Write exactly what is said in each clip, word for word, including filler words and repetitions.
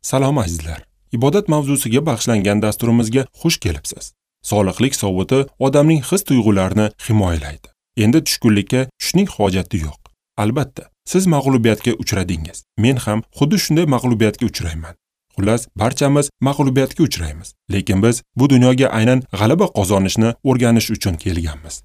Salom azizlar. Ibodat mavzusiga bag'ishlangan dasturimizga xush kelibsiz. Soliqlik sovuti odamning his-tuyg'ularini himoyalaydi. Endi tushkunlikka tushishning hojati yo'q. Albatta, siz mag'lubiyatga uchradingiz. Men ham xuddi shunday mag'lubiyatga uchrayman. Xullas, barchamiz mag'lubiyatga uchraymiz. Lekin biz bu dunyoga aynan g'alaba qozonishni o'rganish uchun kelganmiz.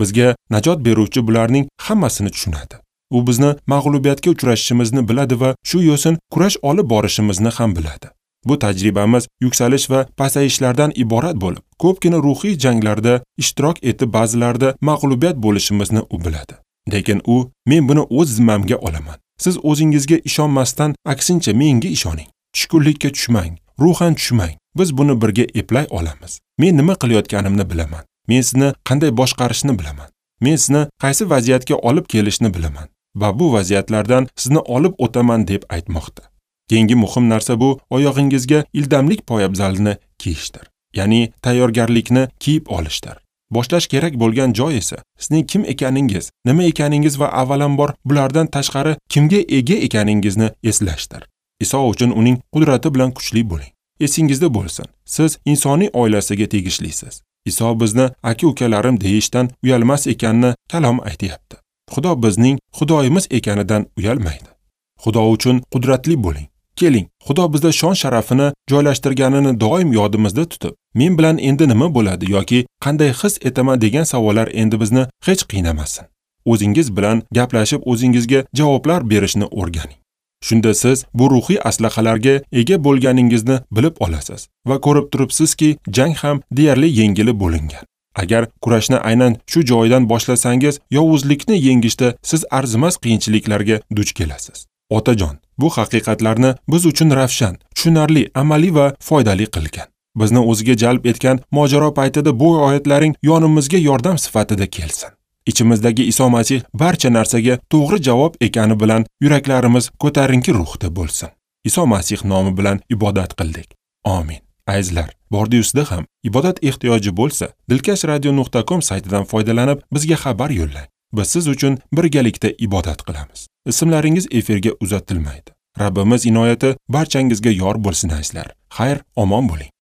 Bizga najot beruvchi bularning hammasini tushunadi. U bizni mag'lubiyatga uchrashishimizni biladi va shu yo'sin kurash olib borishimizni ham biladi. Bu tajribamiz yuksalish va pasayishlardan iborat bo'lib, ko'pgina ruhiy janglarda ishtirok etib ba'zilarda mag'lubiyat bo'lishimizni u biladi. Lekin u, men buni o'z zimmamga olaman. Siz o'zingizga ishonmasdan, aksincha menga ishoning. Tushkunlikka tushmang, ruhan tushmang. Biz buni birga eplay olamiz. Men nima qilayotganimni bilaman. Men sizni qanday boshqarishni bilaman. Men sizni qaysi vaziyatga olib kelishni bilaman va bu vaziyatlardan sizni olib o'taman deb aytmoqda. Keyingi muhim narsa bu oyog'ingizga ildamlik poyabzalini kiyishdir. Ya'ni tayyorgarlikni kiyib olishdir. Boshlash kerak bo'lgan joy esa sizning kim ekaningiz, nima ekaningiz va avvalambor bulardan tashqari kimga ega ekaningizni eslashdir. Iso uchun uning qudrati bilan kuchli bo'ling. Esingizda bo'lsin, siz insoniy oilasiga tegishlisiz. Iso bizni aka-ukalarim deyishdan uyalmas ekanini kalom aytayapti. Xudo bizning Xudoyimiz ekanidan uyalmaydi. Xudo uchun qudratli bo'ling. Keling, Xudo bizda shon sharafini joylashtirganini doim yodimizda tutib, men bilan endi nima bo'ladi yoki qanday his etaman degan savollar endi bizni hech qiynamasin. O'zingiz bilan gaplashib, o'zingizga javoblar berishni o'rganing. Shunda siz bu ruhiy aslahalarga ega bo'lganingizni bilib olasiz va ko'rib turibsizki, jang ham deyarli yengilib bo'lingan. Agar kurashni aynan shu joydan boshlasangiz, yovuzlikni yengishda siz arzimas qiyinchiliklarga duch kelasiz. Otajon, bu haqiqatlarni biz uchun ravshan, tushunarli, amaliy va foydali qilgan. Bizni o'ziga jalb etgan mojaro paytida bu oyatlaring yonimizga yordam sifatida kelsin. İchimizdagi Iso Masih barcha narsaga to'g'ri javob ekani bilan yuraklarimiz ko'tarinki ruhda bo'lsin. Iso Masih nomi bilan ibodat qildik. Amin. Azizlar, bordi-ustida ham ibodat ehtiyoji bo'lsa, dilkash radio nuqta com saytidan foydalanib bizga xabar yo'llang. Biz siz uchun birgalikda ibodat qilamiz. Ismlaringiz efirga uzatilmaydi. Rabbimiz inoyati barchangizga yor bo'lsin azizlar. Xayr, omon bo'ling.